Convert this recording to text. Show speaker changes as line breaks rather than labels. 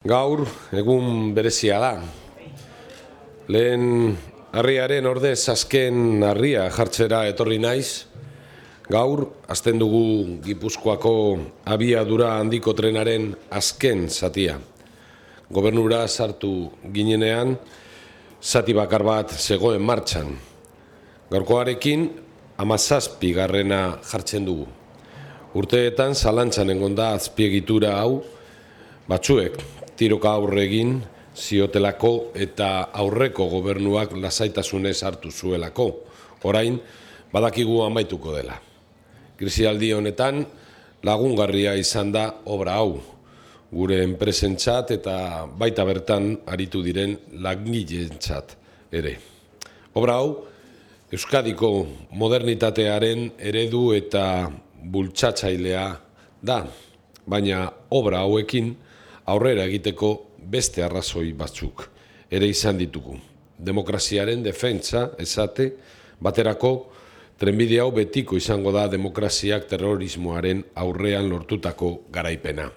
Gaur egun berezia da. Lehen harriaren ordez azken harria jartzera etorri naiz. Gaur hasten dugu Gipuzkoako abiadura handiko trenaren azken zatia. Gobernura sartu ginenean zati bakar bat zegoen martxan. Gaurkoarekin 17. jartzen dugu. Urteetan zalantzan egon da azpiegitura hau, batzuek tiroka aurre egin ziotelako eta aurreko gobernuak lasaitasunez hartu zuelako. Orain badakigu amaituko dela. Krisialdi honetan lagungarria izan da obra hau, gure enpresentzat eta baita bertan aritu diren langileentzat ere. Obra hau Euskadiko modernitatearen eredu eta bultzatzailea da, baina obra hauekin aurrera egiteko beste arrazoi batzuk ere izan ditugu. Demokraziaren defentsa, esate, baterako trenbide hau betiko izango da demokraziak terrorismoaren aurrean lortutako garaipena.